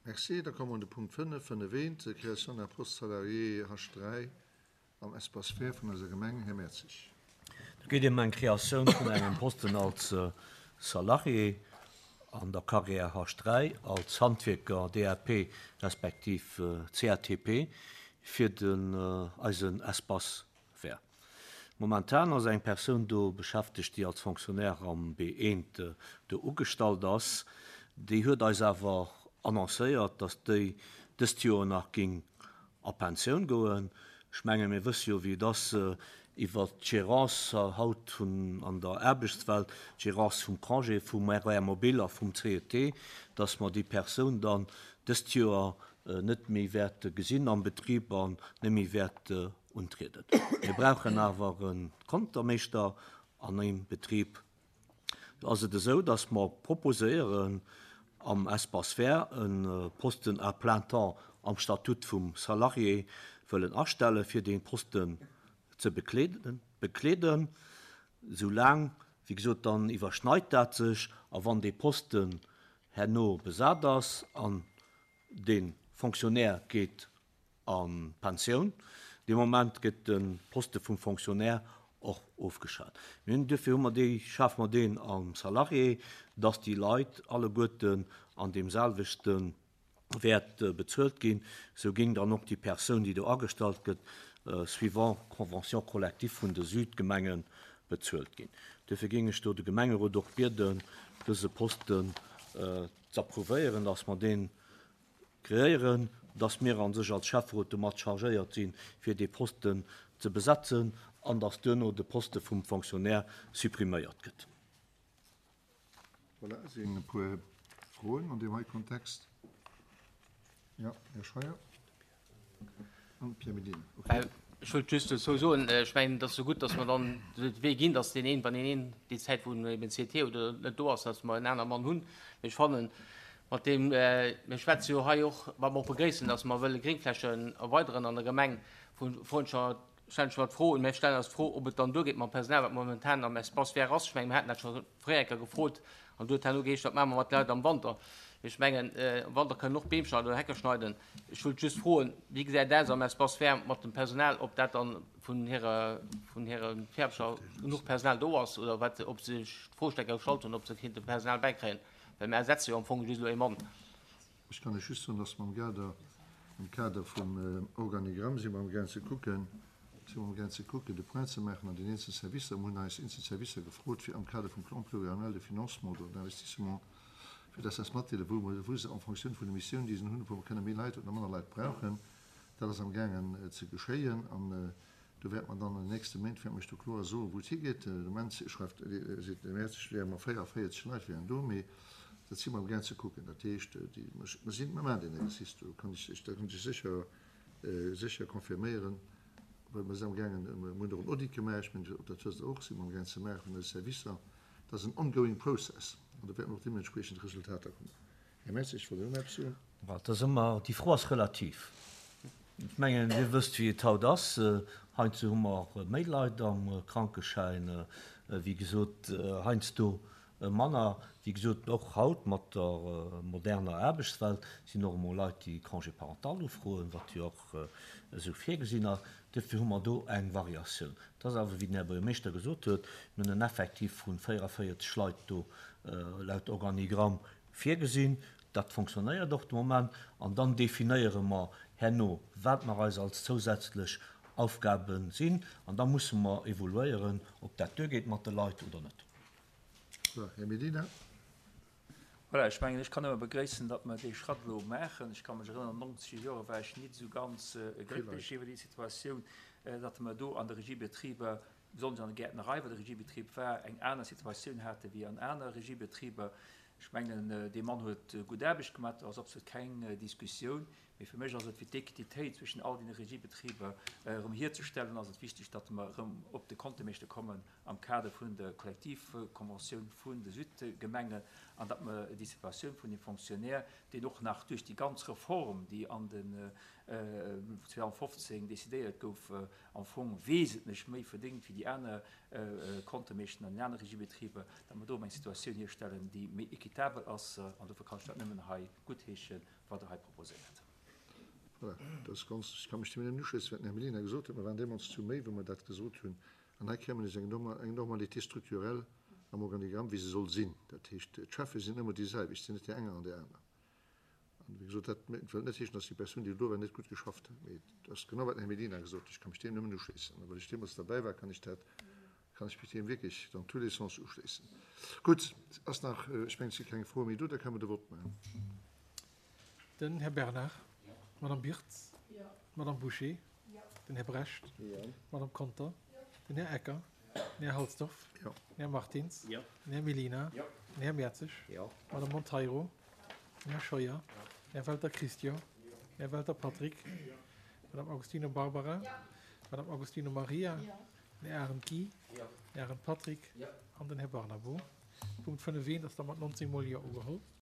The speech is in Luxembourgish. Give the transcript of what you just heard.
Merci. Da komme mer un de Punkt 5, 5 eent, Création d'un poste salarié H3 am Espace vert vun eiser Gemeng. Här Mertzig. Do geet ëm eng Kreatioun vun engem Posten als Salarié an der Carrière H3 als Handwierker DAP respektiv CATP fir den eisen Espace vert. Momentan ass eng Persoun do beschäftegt, déi als Fonctionnaire am B1 do ugestallt ass. Déi huet eis awer annoncéiert, datt déi dëst Joer nach géing a Pensioun goen. Ech menge mir wësse jo, wéi et ass iwwert d'Gérance haut vun an der Aarbechtswelt, d'Gérance vum Congé vum RER mobile a vum CET, datt mer déi Persoun dann dëst Joer net méi wäerte gesinn am Betrib an net méi wäert untrieden. Mir brauchen awer e Kontermeeschter an engem Betrib. Do ass et esou, dass mer proposéieren, am Espace vert e Posten à plein temps am Statut vum Salarié wëllen astellen, fir dee Posten ze bekleeden. Soulaang, wéi gesot, dann iwwerschneit dat sech a wann dee Posten herno besat ass an de Fonctionnaire geet a Pensioun. Dee Moment gëtt de Poste vum Fonctionnaire och ofgeschat. Mir hunn, duerfir hu mer déi, schafe mer deen am Salarié, dass déi Leit alleguerten an deem selwechte Wäert bezuelt ginn. Esou géing dann och déi Persoun, déi do agestallt gëtt, suivant Convention collective vun de Südgemenge bezuelt ginn. Duerfir géing ech do de Gemengerot och bieden, dëse Posten z'approuvéieren, dass mer deen Kreéieren, dass mir a sech als Schäfferot domat chargéiert sinn, fir dee Posten ze besetzen an dass duerno de Poste vum Fonctionnaire suppriméiert gëtt. Voilà, sinn e puer Froen an deem hei Kontext. Jo, Här Scheuer an Pierre Medina. Okay. Ech wollt just dozou soen, ech mengen, et ass jo gutt, dass mer dann de Wee ginn, dass deen een, wann een een déi Zäit, wou en eben CT oder net do ass, dass mer en aner Mann hunn. Mee ech fannen, mat deem, mir schwätze jo hei och, wat mer och begréissen, dass mer wëlle Gréngflächen erweideren an der Gemeng, vu froen ech mer, stellen ech mer d'Fro, mir stellen eis d'Fro, ob et dann duergeet mam Personal, wat momentan am Espace vert ass. Ech mengen, mir haten dat scho fréier eng Kéier gefrot an du huet herno geheescht, wat maache mer mat de Leit am Wanter? Mee ech mengen, am Wanter kënnen och Beem schneiden oder Hecke schneiden. Ech wëllt just froen, wéi gesäit et aus am Espace vert mat dem Personal, ob dat dann vun hirer, vun hire Fäerbecher genuch Personal do ass oder wat, ob se sech d'Fro stellt gestallt hunn, ob se kéinte Personal bäikréien, well mir ersetze jo am Fong just elo ee Mann. Ech kann lech just soen, dass mer am Kader, am Kader vum Organigramm si mer amgaang ze kucken, si mer amgaang ze kucken, de Point ze maachen an den eenzelne Servicer. Mer hunn eis eenzel Servicer gefrot, fir am Kader vum Plan pluriannuel de financement oder d'investissement, fir dass se eis matdeelen, wou mer, wou se en Fonctioun vun de Missiounen, déi se hunn, wou mer kënne méi Leit oder manner Leit brauchen. Dat ass amgaangen ze geschéien an Do wäerte mer dann an den nächste Méint, wäerte mer Iech do kloer soen, wou et higeet. De Moment schreift, seet de Mäerzeg, wäre mer 44 Leit wären do, mee dat si mer amgaang ze kucken. Dat heescht, déi, mer sinn, mer maachen deen Exercice do, kann ech Iech, dat kann ech Iech sécher, sécher confirméieren, well mer sinn amgaangen, mer hunn och en Audit gemaach, ech mengen, dat wësst Der och, si mer amgaang ze maachen vun eise Servicer. Dat ass en ongoing process an do wäerten och deementspriechend Resultater kommen. Här Mertzig, wollt Dir och nach eppes soen? Dat ass ëmmer, déi Fro ass relativ. Ech mengen, Dir wësst, wéi et haut ass. Heiansdo hu mer méi Leit am Krankeschäin, wéi gesot, heiansdo manner. Wéi gesot, och haut mat der moderner Aarbechtswelt sinn och emol Leit, déi Congé parental ufroen, wat jo och esou virgesinn ass. Duerfir hu mer do eng Variatioun. Et ass awer, wéi den Här Buergermeeschter gesot huet, mir hunn en Effectif vu 44 Leit do laut Organigramm Virgesinn. Dat fonctionnéiert och de Moment. An dann definéiere mer herno, wat mer eis als zousätzlech Aufgabe sinn. An da musse mer evoluéieren, ob dat duergeet mat de Leit oder net. Voilà, Här Medina. Voilà, ech mengen, ech kann nëmme begréissen, datt mer dee Schratt elo maachen. Ech ka mech erënnern, an den nonzeger Jore war ech nit esou ganz glécklech iwwer déi Situatioun, datt mer do an de Regiebetriber, besonnesch an der Gäertnerei, wou de Regiebetrib war, eng aner Situatioun hate wéi an aner Regiebetriber. Ech mengen, dee Mann huet gutt Aarbecht gemaach, do ass absolut keng Diskussioun. Mee fir mech ass et, fir d'Equititéit zwëschen all deene Regiebetriber erëm hierzestellen, ass et wichteg, datt mer erëm op de Kontemeeschter kommen am Kader vun der Kollektivkonventioun vun de Südgemengen an datt mer déi Situatioun vun dem Fonctionnaire, deen och nach duerch déi ganz Reform, déi an den 2015 decidéiert gouf, am Fong wesentlech méi verdéngt wéi déi aner Kontemeeschten an den anere Regiebetriber, datt mer do erëm eng Situatioun hierstellen, déi méi. équitabel ass. An dofir kann ech dat nëmmen hei guttheeschen, wat Der hei proposéiert. Voilà, dat ass ganz, ech ka mech deem nëmmen uschléissen, wat den Här Mellina gesot huet. Mer waren deemools zu méi, wou mer dat gesot hunn. An hei kréie mer nees eng Normalité structurelle am Organigramm, wéi se soll sinn. Dat heescht, d'Cheffe sinn ëmmer déi selwecht, sinn net déi enger an déi aner. An, wéi gesot, dat wëllt net heeschen, dass déi Persoun, déi do war, net gutt geschafft huet. Mee et ass genau, wat den Här Mellina gesot huet. Ech ka mech deem nëmmen uschléissen. A well ech deemools derbäi war, kann ech dat, kann ech mech deem wierklech dans tous les sens uschléissen. Gutt, ass nach, ech mengen, et si keng Froe méi do, da kënnen mer de Vott maachen. Den Här Bernard. D'Madame Birtz. D'Madame Bouché. Den Här Brecht. D'Madame Conter. Den Här Ecker. Den Här Halsdorf. Den Här Martins. Den Här Mellina. Den Här Mertzig. D'Madame Monteiro. Den Här Scheuer. Den Här Welter Christian. Den Här Welter Patrick. D'Madame Agostino Barbara. D'Madame Agostino Maria. Den Här Arendt Guy. Den Här Arendt Patrick an den Här Barnabo. Punkt 5 eent ass da mat 19 mol Jo ugeholl.